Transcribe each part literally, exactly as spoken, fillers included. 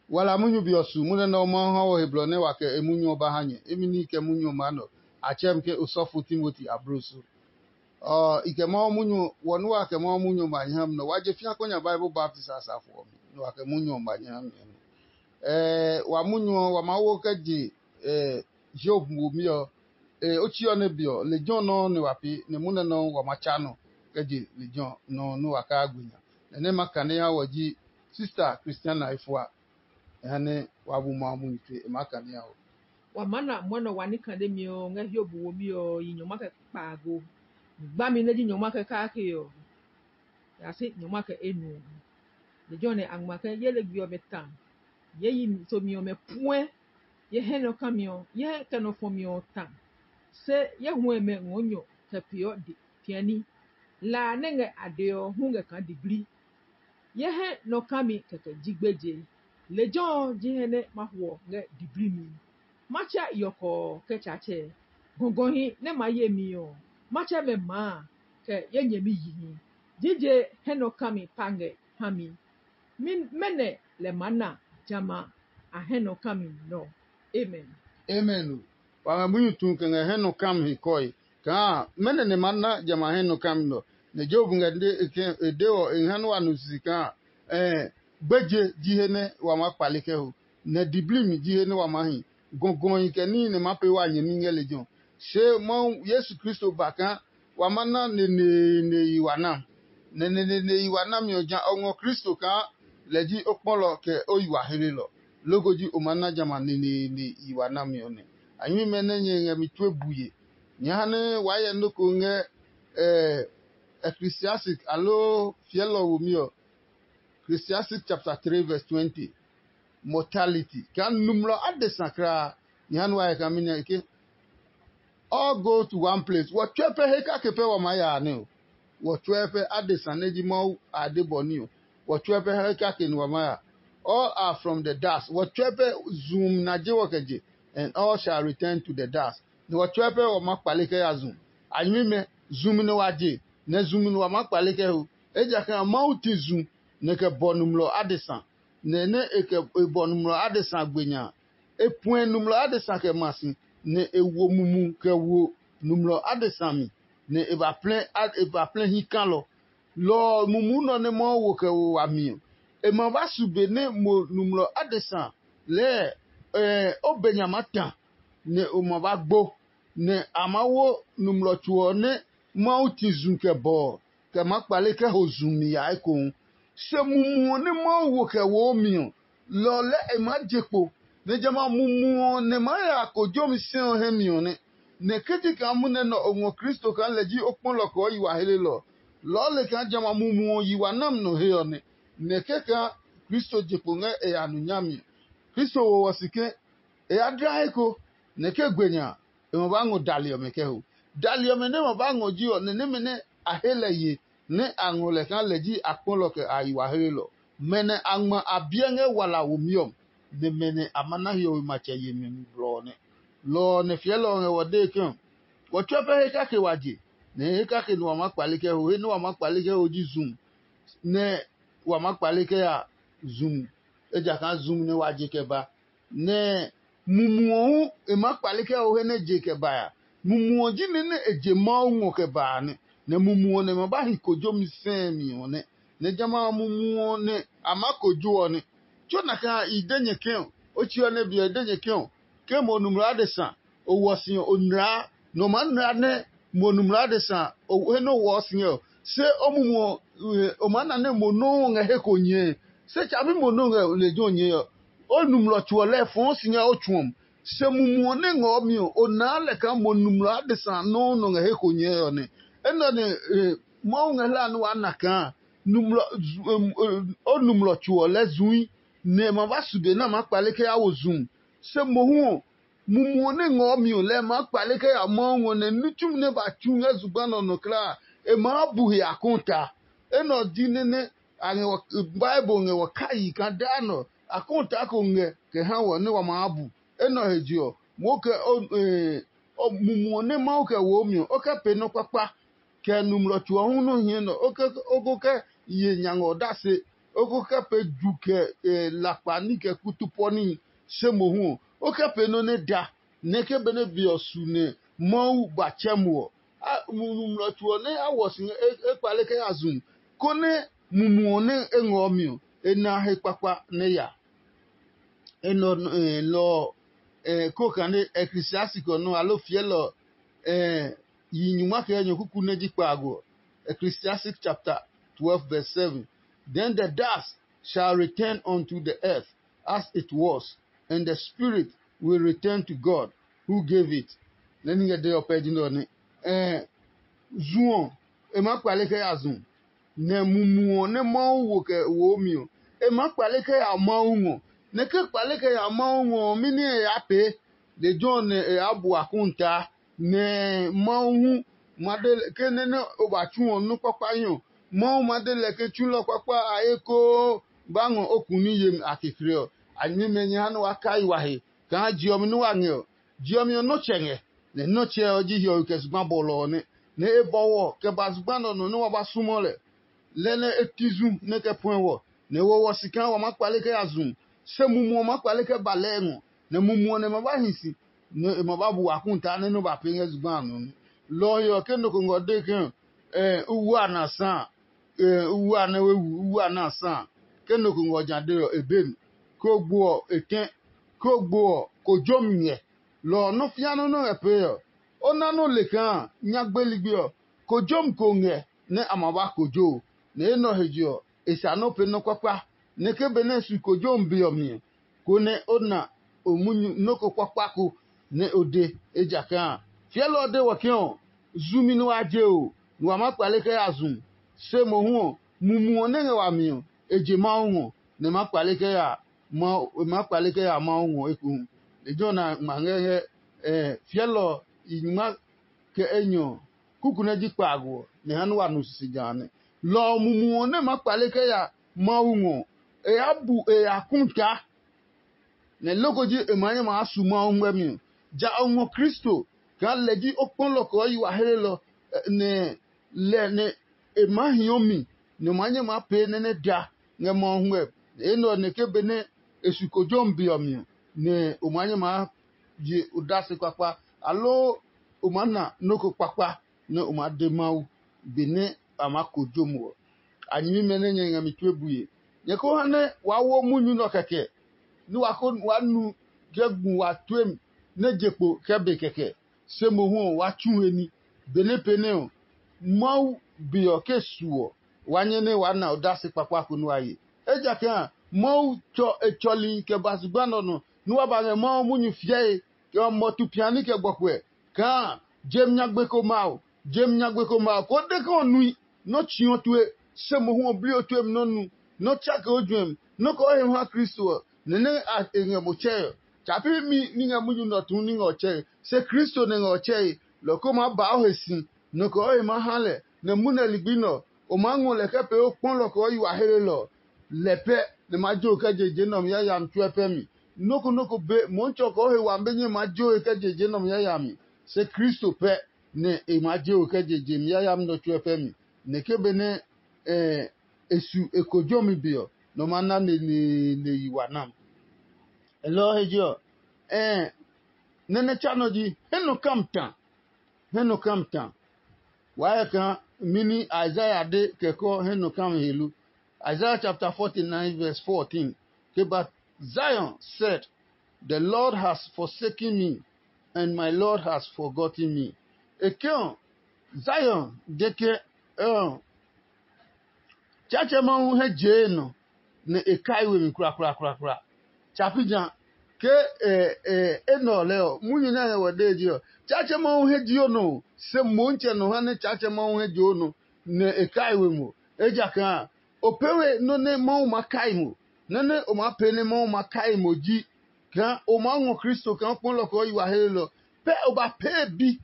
Wala munyu be ɔ su munyu nɛ Mawu ha wɔ he blɔ nɛ wa kɛ e munyu ɔ ba ha nyɛ. Imi ní kɛ munyu ɔ maa nɔ, a tsɛɛ mi ke osɔfo Timoti abloso. Ɔ, i kɛ Mawu munyu ɔ, wɔ nɛ wa kɛ Mawu munyu ɔ ma nyɛ ha mi nɔ, wa je fĩa kɔ nya Bible baptist asafo ɔ mi, nɛ wa kɛ munyu ɔ ma nyɛ ha mi nɔ. Ɛɛ, wa munyu ɔ, wa maa wo kɛ je, ɛɛ, Hiob womi ɔ, ee, otsi ɔ nɛ be ɔ, lejɛ ɔ nɔuu nɛ wa pee, nɛ munɛ nɔuu wa ma tsa nɔ kɛ je lejɛ ɔ nɔuu nɛ wa kaa gbe nya. Nɛ nɛ ma kane ha wɔ ji sista Kristiana efua, e ha nɛ wa bu Mawu munyu tue, e maa kane ha wɔ. Wa maa na mwɔnɛ wa ní kane mi ɔ ngɛ Hiob womi ɔ yi nyɔngma kɛ kpaago. Gbami nɛ ji nyɔngma kɛ kake ɔ, ya si nyɔngma kɛ enuɔ. Lejɛ ɔ nɛ a ngma ke ye ligbi ɔmɛ ta, ye yi somi ɔmɛ puɛ, ye hɛ nɔ kami ɔ, ye hɛ kɛ nɔ fɔmi ɔ ta, se ye huɛ mɛ ngɔɔ nyɔ kɛ peeɔ piani. La a nɛ ngɛ a dee ɔ hu ngɛ kaa diblii. Ye hɛ nɔ kami kɛkɛ ji gbeje. Lejɛ ɔ ji he nɛ ma huɔ ngɛ diblii mi. Ma tsɛ yɔkɔɔ kɛ Tsaatsɛ. Gɔgɔhi nɛ ma ye mi ɔ, ma tsɛ mɛ maa kɛ ye nyɛmi yihi. Jije hɛ nɔ kami pa ngɛ ha mi. Mɛnɔ lɛ maa na jamɛ a hɛ nɔ kami nɔ? Amen. Amen o. Wa ngɛ munyu tu kɛ ngɛ hɛ nɔ kami he kɔe kaa mɛnɔ nɛ ma na jamɛ a hɛ nɔ kami nɔ? Nɛ Job ngɛ e de ɔ, e ha nɛ wa nu sisi kaa, gbeje ji he nɛ wa maa kpale kɛ ho, nɛ diblimi ji he nɛ wa maa hi. Gɔgɔhi kɛ níhi nɛ maa pee wa nyɛmi ngɛ lejɛ ɔ. Se Mawu Yesu Kristo ba kaa wa ma na neneene yi wa na. Nɛ neneene yi wa nami ɔ ja o ngɔ Kristo kaa lɛ ji o kpɔlɔ kɛ o yi wa hlelɔ, loko ji o maa na jamɛ a neneene yi wa nami ɔ nɛ. A nyuimɛ nɛ nyɛ ngɛ mi tue bue, nyɛ ha nɛ waa hyɛ nɔ́ ko ngɛ Ecclesiastic aloo fiɛlɔ womi ɔ, Ecclesiastic chapter three verse twenty. Mortality kaa numlɔ adesa kulaa. Nyɛ ha nɛ waa hyɛ kaa mɛni ke all go to one place. Wɔ tsuɛ pɛ he kake pɛ wa maa ya a nɛ o. Wɔ tsuɛ pɛ adesa nɛ ji Mawu a de bɔ ní ɔ. Wɔ tsuɛ pɛ he kake nɛ wa maa ya. All are from the dust. Wɔ tsuɛ pɛ zumi na je wɔ kɛ je, and all shall return to the dust. Nɛ wɔ tsuɛ pɛ wɔ maa kpale kɛ ya zu. A nyɛmimɛ, zumi nɛ wa je, nɛ zumi nɛ wa maa kpale kɛ ho. Ejakaa Mawu ti zu nɛ kɛ bɔ numlɔ adesa, nɛ nɛ e kɛ e bɔ numlɔ adesa gbe nya a, e puɛ numlɔ adesa kɛ ma si, nɛ e wo mumu kɛ wo numlɔ adesa mi, nɛ e ba plɛ a- e ba plɛ hi kalɔ. Lɔ ɔ mumu nɔ nɛ Mawu wo kɛ wo wami ɔ, e ma ba su be nɛ mo numlɔ adesa lɛɛ ɛ o be nya maa ta, nɛ o ma ba gbo, nɛ a maa wo numlɔ tso ɔ nɛ Mawu ti zu kɛ bɔ ɔ, kɛ maa kpale kɛ ho zu mi ya ekohu. Se mumi ɔ nɛ Mawu wo kɛ woo mi ɔ, lɔ ɔ lɛɛ e maa je kpo, nɛ jamɛ a mumi ɔ nɛ maa ya kojomi sɛ ɔ hɛ mi ɔ nɛ. Nɛ ke ji kaa munɛ nɛ o ngɔ Kristo kaa lɛ ji o kpɔlɔ kɛ o yi wa helelɔ ɔ, lɔɔ le kaa jamɛ a mumi ɔ yi wa nami nɔ he ɔ nɛ. Nɛ kɛkaa Kristo je kpo ngɛ e ya nu nyami ɔ, Kristo wo wɔ si ke e ya dla he ko, nɛ ke gbe nya a, e ma ba ngɔ dali ɔmɛ kɛ ho. Dali ɔmɛ nɛ ma ba ngɔ ji ɔ, nɛ nɛmɛ nɛ a he lɛ ye nɛ a ngɔ lɛ kaa lɛ ji akpɔlɔ kɛ a yi wa helelɔ. Mɛ nɛ a ngma a biɛ ngɛ wala womi ɔ, nɛ mɛ nɛ a ma na hiɔwe matsɛ yemi mi blɔ ɔ nɛ. Lɔ ɔ nɛ fiɛlɔ ɔ ngɛ wɔ dee ke ɔ, wɔ tsuɛ pɛ he kake wa je, nɛ he kake nɛ wa maa kpale kɛ ho. He nɛ wa maa kpale kɛ ho ji zum, nɛ wa maa kpale kɛ ya zum, ejakaa zum nɛ wa je kɛ ba. Nɛ mumu ɔ hu e maa kpale kɛ ho he nɛ je kɛ ba ya. Mumu ɔ ji nɛ nɛ e je Mawu ngɔ kɛ ba a nɛ, nɛ mumu ɔ nɛ ma ba hi kojomi sɛɛ mi ɔ nɛ. Nɛ jamɛ a mumu ɔ nɛ a maa kojo ɔ nɛ. Tso nakai a i de nyɛ ke ɔ, o tsi ɔ nɛ be ɔ i de nyɛ ke ɔ, ke mo numlɔ adesa o wɔ si ɔ, o nlaa, nɛ o maa nlaa nɛ mo numlɔ adesa he nɛ o wɔɔ si ngɛ ɔ. Se o mumu ɔ, o maa na nɛ mo nɔuu ngɛ he ko nyɛɛ. Se tsabi mo nɔuu ngɛ lejɛ ɔ nyɛɛ ɔ, o numlɔ tso ɔ lɛɛ fɔɔ si ngɛ o tsu ɔ. Se mumu ɔ nɛ ngɔ mi ɔ, o naa lɛ kaa mo numlɔ adesa nɔuu nɔ ngɛ he ko nyɛɛ ɔ nɛ. Enɛ ɔ nɛ Mawu ngɛ hlaa nɛ waa na kaa o numlɔ tso ɔ lɛɛ zui, nɛ e ma ba su be nɛ a maa kpale kɛ ya wo zum. Se mohu ɔ, mumu ɔ nɛ ngɔɔ mi ɔ lɛɛ maa kpale kɛ ya Mawu ngɔ nɛ ní tsumi nɛ ba tsu ngɛ zugba nɛ ɔ nɔ kulaa, e maa bu he akɔnta. Enɛ ɔ ji nɛ nɛ a ngɛ wɔ Bible ngɛ wɔ kayi kaa daa nɛ ɔ, akɔnta ko ngɛ kɛ ha wɔ nɛ wa maa bu. Enɛ ɔ he je ɔ, moo kɛ mumu ɔ nɛ Mawu kɛ woo mi ɔ, o kɛ pee nɔ́ kpakpa, kɛ numlɔ tso ɔ hu nɔ hiɛ nɛ o ko kɛ ye nya ngɛ odase. o ko kɛ pee ju kɛ lakpa ní kɛ kutu pɔ níhi, se mohu ɔ, o kɛ pee nɔ́ nɛ da, nɛ ke benɛ be ɔ su nɛ Mawu ba tsɛ mo ɔ, mumlɔ tso ɔ nɛ a wɔ si ngɛ e kpale kɛ ya zu, konɛ mumu ɔ nɛ e ngɔ mi ɔ, e na he kpakpa nɛ ya. Enɛ ɔ lɔ ɔ, ko kane Ecclesiastic ɔ nɔ alo fiɛlɔ ɔ, yi nyuma kɛ nyɔ kuku nɛ ji kpaago ɔ. Ecclesiastic chapter twelve verse seven. Then the dust shall return unto the earth as it was, and the spirit will return to God who gave it. Nɛ ni ngɛ de ɔ pɛ ji nɛ ɔ nɛ. Zu ɔ, e maa kpale kɛ ya zu, nɛ mumu ɔ nɛ Mawu wo kɛ woo mi ɔ, e maa kpale kɛ ya Mawu ngɔ. Nɛ ke kpale kɛ ya Mawu ngɔ ɔ, mɛni e ya pee? Lejɛ ɔ nɛ e ya bu akuntaa, nɛ Mawu hu ma de lɛ ke nɛ nɛ o ba tsu ɔ nɔ́ kpakpa hi ɔ, Mawu ma de lɛ ke tsulɔ kpakpa a ekoo ba ngɔ o kuni yemi a kekle ɔ. A nyɛmɛ nyɛ ha nɛ wa kai wa he kaa je ɔ mi nɛ wa ngɛ ɔ. Je ɔ mi ɔ nɔ́ tsɛ ngɛ, nɛ nɔ́ tsɛ ɔ ji hiɔwe kɛ zugba bɔlɔ ɔ nɛ, nɛ e bɔwɔ kɛ ba zugba nɛ ɔ nɔ nɛ wa ba súmɔ lɛ. Lɛ nɛ e ti zu nɛ kɛ puɛ wɔ, nɛ e wo wɔ si kaa wa maa kpale kɛ ya zu. Se mumu ɔ maa kpale kɛ ba lɛɛ ngɔ, nɛ mumu ɔ nɛ e ma ba hi si, nɛ e ma ba bu wa kúntaa nɛ nɔ́ ba pee ngɛ zugba a nɔ nɛ. Lɔ ɔ he ɔ, ke nɔ ko ngɔ dee ke, ɛ uwu a na sa a, ɛ uwu a nɛ we wu uwu a na sa a, ke nɔ ko ngɔ ja dee ɔ, e be mi. Ko gbo ɔ, e tɛ. Ko gbo ɔ, kojomi ngɛ. Lɔ ɔ nɔ́ fĩa nɔ́ nɛ ngɛ pee ɔ, o na nɔ́ le kaa nyagbe ligbi ɔ, kojomi ko ngɛ nɛ a ma ba kojo, nɛ enɛ ɔ he je ɔ, e sa nɔ́ pee nɔ́ kpakpa, nɛ ke benɛ e su kojomi be ɔ mi ɔ, konɛ o na o munyu nɔ́ ko kpakpa ko nɛ o de. Ejakaa a, fiɛlɔ ɔ de wɔ ke ɔ, zumi nɛ wa je o, nɛ wa maa kpale kɛ ya zu. Se mohu ɔ, mumu ɔ nɛ ngɛ wami ɔ, e je Mawu ngɔ, nɛ e maa kpale kɛ ya Mawu, e maa kpale kɛ ya Mawu ngɔ ekohu. Lejɛ ɔ na ngma ngɛ ngɛ fiɛlɔ ɔ yi nyuma kɛ enyɔ ɔ, kuku nɛ ji kpaago ɔ, nɛ e ha nɛ wa nu sisi jã a nɛ. Lɔ ɔ mumu ɔ nɛ maa kpale kɛ ya Mawu ngɔ ɔ, e yaa bu e ya kúta, nɛ loko ji e maa nyɛ maa su Mawu ngmɛmi ɔ. Ja o ngɔ Kristo kaa lɛ ji o kpɔlɔ kɛ ɔ yi wa helelɔ, nɛ lɛ nɛ e maa hio mi, nɛ o maa nyɛ maa pee nɛ nɛ da ngɛ Mawu ngmɛmi. Enɛ ɔ nɛ ke benɛ e su kojomi be ɔ mi ɔ, nɛ o maa nyɛ maa je odase kpakpa, aloo o maa na nɔ́ ko kpakpa nɛ o maa de Mawu benɛ a maa kojo mo ɔ. A nyɛmimɛ nɛ nyɛ ngɛ mi tue bue, nyɛ ko ha nɛ waa wo munyu nɛ ɔ kɛkɛ, nɛ wa ko waa nu kɛ gu wa tuemi nɛ je kpo kɛ be kɛkɛ. Se mohu ɔ, waa tsu he ní. Benɛ pee nɛ ɔ, Mawu be ɔ ke su ɔ, wa nyɛ nɛ waa na odase kpakpa ko nɛ wa ye. Ejakaa a, Mawu tsɔ e tsɔli kɛ ba zugba nɛ ɔ nɔ nɛ wa ba ngɛ Mawu munyu fiɛe kɛ mɔtu piani kɛ gbɔkuɛ kaa jem nyagbe ko ma o, jem nyagbe ko ma o, ko de ke o nui, nɔ́ tsii o tue, se mohu ɔ bli o tuemi nɔ́ nu, nɔ́ tsake o juɛmi, nɔ́ kɛ o he ha Kristo ɔ, nɛ nɛ e ngɛ mo tsɛe ɔ. Tsa pi mi ní ngɛ munyu nɛ ɔ tuu ní ngɛ ɔ tsɛe, se Kristo nɛ ngɛ ɔ tsɛe, lɔ ko maa ba o he si, nɔ kɛ o he maa ha lɛ, nɛ munɛ ligbi nɛ ɔ, o maa ngɔ lɛ kɛ pee o kpɔlɔ kɛ o yi wa helelɔ ɔ. Lɛ pɛ nɛ ma jo kɛ je je nɛ ɔ mi yayami tsuɛ pɛ mi. Nɔ́ ko nɔ́ ko be Mɔɔtsɛ ɔ kɛ o he wami be nyɛ maa jo he kɛ je je nɛ ɔ mi yayami, se Kristo pɛ nɛ e maa je o kɛ je je mi yayami nɛ ɔ tsuɛ pɛ mi. Nɛ ke benɛ e su e kojomi be ɔ, nɔ ma na neneene yi wa nam. Lɔ ɔ he je ɔ, nɛ nɛ tsa nɔ ji he nɔ kam ta. He nɔ kam ta. Waa hyɛ kaa mɛni Isaiah de kɛkɔ he nɔ kam he lo? Isaiah chapter forty-nine verse fourteen. Ke, but Zion said, "The Lord has forsaken me, and my Lord has forgotten me." E ke ɔ, Zion de ke, ɔ, Tsaatsɛ Mawu hɛ jee nɔ, nɛ e kai we mi kurakurakura. Tsa pi ja ke enɛ ɔ lɛɛ ɔ, munyu nɛ a ngɛ wɔ dee je ɔ, Tsaatsɛ Mawu hɛ jio nɔ, se Motsɛ nɔ ha nɛ Tsaatsɛ Mawu hɛ jio nɔ, nɛ e kai we mo. Ejakaa o pee we nɔ́ nɛ Mawu ma kai mo. Nɔ́ nɛ o maa pee nɛ Mawu ma kai mo ji kaa o maa ngɔ Kristo kaa o kpɔlɔ kɛ o yi wa helelɔ. Pɛ o ba pee bi.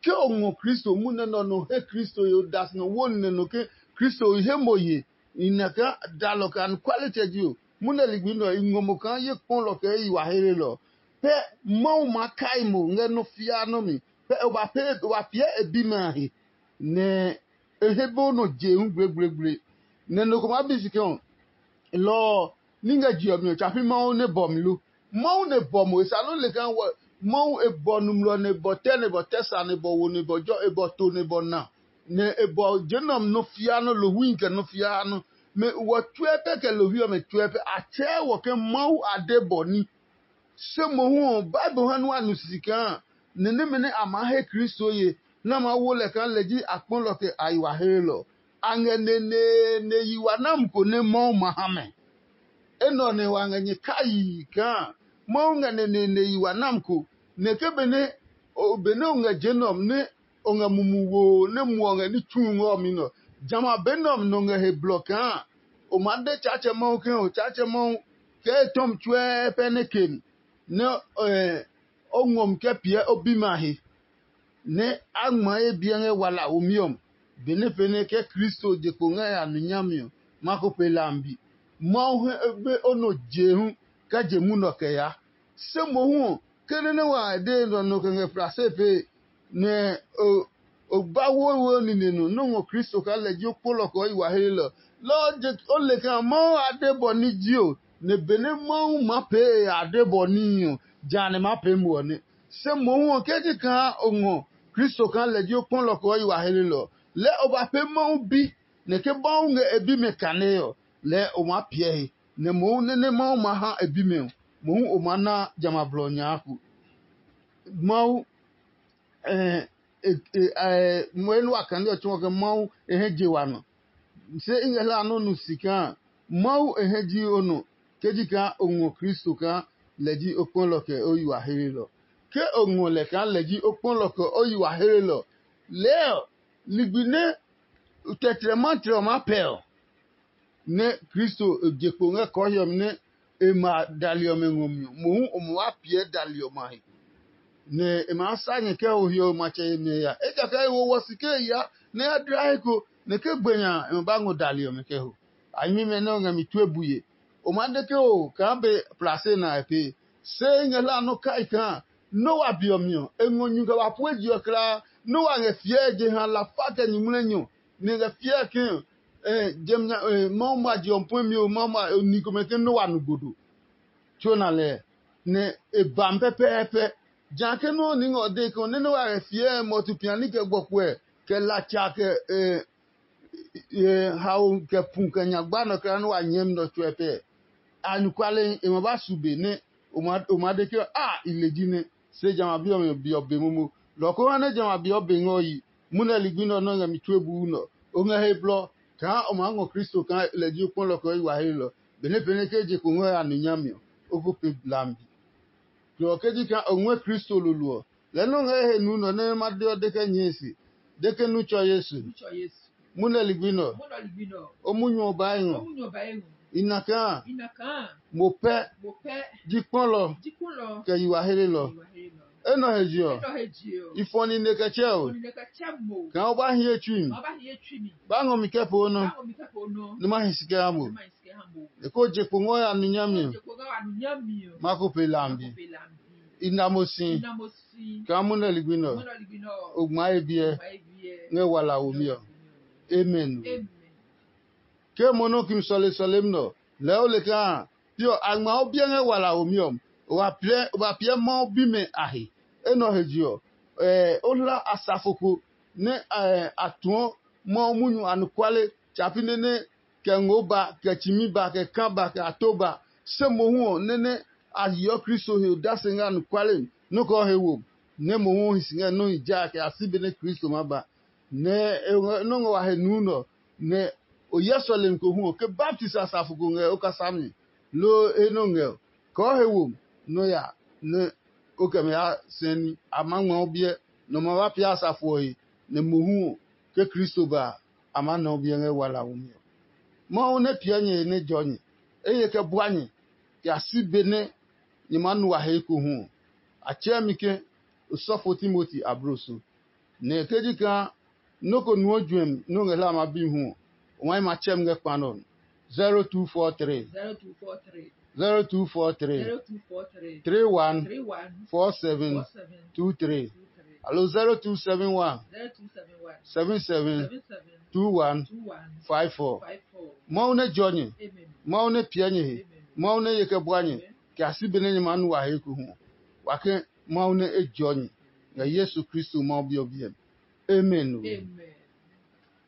Ke o ngɔ Kristo munɛ nɛ ɔ nɔ he Kristo he odase nɔ wo nɛ nɔ ke Kristo he mo ye, i na kaa dalɔ kɛ anɔkualetsɛ ji o, munɛ ligbi nɛ ɔ i ngɔ mo kaa ye kpɔlɔ kɛ ye yi wa helelɔ. Pɛ Mawu maa kai mo ngɛ nɔ́ fiaa nɔ́ mi. Pɛ o ba pee o ba piɛ e bimɛ a he, nɛ e he be o nɔ je hu gblegbleegble. Nɛ nɔ ko maa bi si ke ɔ, lɔ ɔ ní ngɛ je ɔ mi ɔ, tsa pi Mawu nɛ bɔ mi lo? Mawu nɛ bɔ mo, e sa nɔ́ le kaa wɔ Mawu e bɔ nɔmlɔ nɛ e bɔ tɛ nɛ e bɔ tɛ sa nɛ e bɔ wo nɛ e bɔ jɔ e bɔ to nɛ e bɔ na, nɛ e bɔ je nɛ ɔ mi nɔ fia nɔ, lohwi kɛ nɔ fia nɔ. Mɛ wɔ tsuɛ pɛ kɛ lohwi ɔmɛ tsuɛ pɛ a tsɛɛ wɔ ke Mawu a de bɔ ní. Se mohu ɔ, Bible ha nua nu sisi kaa nɛ nɛmɛ nɛ a maa he Kristo ye nɛ a maa wo lɛ kaa lɛ ji akpɔlɔ kɛ a yi wa heelɔ. A ngɛ neneene yi wa nami ko nɛ Mawu ma ha mɛ. Enɛ ɔ nɛ wa ngɛ nyɛ kayii kaa Mawu ngɛ neneene yi wa nami ko, nɛ ke benɛ o benɛ o ngɛ je nɛ ɔ nɛ o ngɛ mumi woo nɛ muɔ ngɛ ní tsu ngɛ ɔ mi nɔ. Jamɛ a be nɛ ɔ mi nɔ ngɛ he blɔ kaa o maa de Tsaatsɛ Mawu ke o Tsaatsɛ Mawu kɛ e tɔmi tsuɛɛ pɛ nɛ ke nɛ o ngɔ mi kɛ piɛ o bimɛ a he, nɛ a ngma ye biɛ ngɛ wala womi ɔ mi, benɛ pɛnɛ ke Kristo je kpo ngɛ ya nu nyami ɔ, ma ko pe lambi. Mawu he be o nɔ jehu kɛ je munɔ kɛ ya. Se mohu ɔ, ke nɛ nɛ wa de nɔ nɔ kɛ ngɛ plase pee, nɛ o o ba wowo nine nɔ nɔ́ ngɔ Kristo kaa lɛ ji o kpolɔ kɛ o yi wa heelɔ. Lɔ ɔ je o le kaa Mawu a de bɔ ní ji o, nɛ benɛ Mawu maa pee e a de bɔ níhi ɔ, jã nɛ maa pee mo ɔ nɛ. Se mohu ɔ, ke ji kaa o ngɔ Kristo kaa lɛ ji o kpɔlɔ kɛ o yi wa heelɔ, lɛɛ o ba pee Mawu bi, nɛ ke Mawu ngɛ e bimɛ kane ɔ, lɛɛ o maa piɛ he, nɛ mohu nɛ nɛ Mawu ma ha e bimɛ ɔ, mohu o maa na jamɛ a blɔ nyaaku. Mawu Moe nɛ wa kane ɔ tsɔɔ ke Mawu e hɛ je wa nɔ. Se i ngɛ hlaa nɔ́ nu si kaa Mawu e hɛ ji o nɔ ke ji kaa o ngɔ Kristo kaa lɛ ji o kpɔlɔ kɛ o yi wa heelɔ. Ke o ngɔ lɛ kaa lɛ ji o kpɔlɔ kɛ o yi wa heelɔ, lɛɛ ɔ, ligbi nɛ tɛtrɛ matrɛ ɔ maa pɛ ɔ, nɛ Kristo je kpo ngɛ kɔɔhiɔ mi nɛ e ma dali ɔmɛ ngɔ mi ɔ, mohu o ma wa piɛ dali ɔmɛ a he, nɛ e maa sa nyɛ kɛ ho hiɔwe matsɛ yemi ɔ ya. Ejakaa e wo wɔ si ke e ya nɛ e ya dla he ko, nɛ ke gbe nya e ma ba ngɔ dali ɔmɛ kɛ ho. A nyɛmimɛ nɛ o ngɛ mi tue buye. O maa de ke o kaa be plase na e pee. Se i ngɛ hlaa nɔ́ kai kaa Noa be ɔ mi ɔ, e ngɔ nyu kɛ ba pue je ɔ kulaa. Noa ngɛ fiɛɛ jeha lafa kɛ nyuŋmlɛnyɔ, nɛ e ngɛ fiɛɛ ke Mawu ma je ɔ puɛmi ɔ, Mawu ma ni komɛ ke Noa nu gbodo. Tso na lɛ, nɛ e ba mi pɛpɛɛpɛ. Jã ke nɔ́ ní ngɛ ɔ dee ke ɔ, nɛ Noa ngɛ fiɛɛ mɔtu piani kɛ gbɔkuɛ, kɛ latsa kɛ haomi kɛ pu kɛ nyagba nɔ kɛ nɛ wa nyɛɛmi nɔ tsuɛ pɛ. Anɔkuale e ma ba su be nɛ o ma de ke a i le ji nɛ, se jamɛ a bi ɔmɛ be ɔ be momo. Lɔ ko ha nɛ jamɛ a be ɔ be ngɛ o yi, munɛ ligbi nɛ ɔ nɔ́ ngɛ mi tue buu nɛ ɔ. O ngɛ he blɔ kaa o maa ngɔ Kristo kaa lɛ ji o kpɔlɔ kɛ o yi wa he lɔ, benɛ pɛnɛ ke je ko ngɔ ya nu nyami ɔ, o ko pe hlami. Lɔ ɔ ke ji kaa o ngɔɛ Kristo lolo ɔ, lɛɛ nɛ o ngɛ he nu nɔ nɛ ma de ɔ de kɛ nyɛe se, de ke nu tsɔ Yesu. Munɛ ligbi nɛ ɔ, o munyu ɔ baa ngɔ. I na kaa mo pɛ ji kpɔlɔ kɛ yi wa helelɔ. Enɛ ɔ he je ɔ, i fɔ nine kɛ tsɛ o, kaa o ba hi ye tsui mi, ba ngɔ mi kɛ poo nɔ, nɛ ma hi si kɛ ha mo. E ko je kpo ngɔ ya nu nyami ɔ, ma ko pe lambi. I na mo si kaa munɛ ligbi nɛ ɔ, o ngma ye biɛ ngɛ wala womi ɔ. Amen. Ke mo nɔ kimi sɔle sɔlemi nɛ ɔ, lɛɛ o le kaa pi ɔ a ngma o biɛ ngɛ wala womi ɔ, o ba piɛ Mawu bimɛ a he. Enɛ ɔ he je ɔ, o hla asafo ko nɛ a tuɔ Mawu munyu anɔkuale tsapi nɛ nɛ kɛ ngoo ba, kɛ tsimi ba, kɛ kaa ba, kɛ ato ba. Se mohu ɔ, nɛ nɛ a yeɔ Kristo he odase ngɛ anɔkuale mi, nɔ́ kɛ o he wo, nɛ mohu o hi si ngɛ nɔ́ hi jaa kɛ ya si benɛ Kristo ma ba. Nɛ e ngɛ nɔ́ ngɛ wa he nuu nɛ ɔ, nɛ o hyɛ sɔlemi ko hu ɔ, ke baptisi asafo ko ngɛ o kasa mi, loo he nɛ o ngɛ ɔ, kɛ o he wo nɔ ya nɛ o kɛ mɛ ya sɛɛ ní. A maa ngma o biɛ, nɛ o ma ba pia asafo ɔ he, nɛ mohu ɔ, ke Kristo ba a, a maa na o biɛ ngɛ wala womi ɔ. Mawu nɛ piɛ nyɛ he nɛ jɔ nyɛ, eye kɛ bua nyɛ, kɛ ya si be nɛ nyɛ maa nu wa he ekohu ɔ, a tsɛɛ mi ke osɔfo Timoti abloso. Nɛ ke ji kaa nɔ́ ko nuɔ juɛmi nɛ o ngɛ hlaa ma bi hu ɔ, o maa yi ma tsɛ mi ngɛ kpa nɛ ɔ mi. zero two four three, zero two four three, zero two four three, zero two four three, three one, three one, four seven, four seven, two three, two three, alo zero two seven one, zero two seven one, seven seven, seven seven, two one, two one, five four. Five four. Mawu nɛ jɔ nyɛ, Mawu nɛ piɛ nyɛ he, Mawu nɛ ye kɛ bua nyɛ, kɛ a si benɛ nyɛ maa nu wa he ekohu ɔ, wa ke Mawu nɛ e jɔ nyɛ ngɛ Yesu Kristo Mawu Bi ɔ biɛ mi. Amen.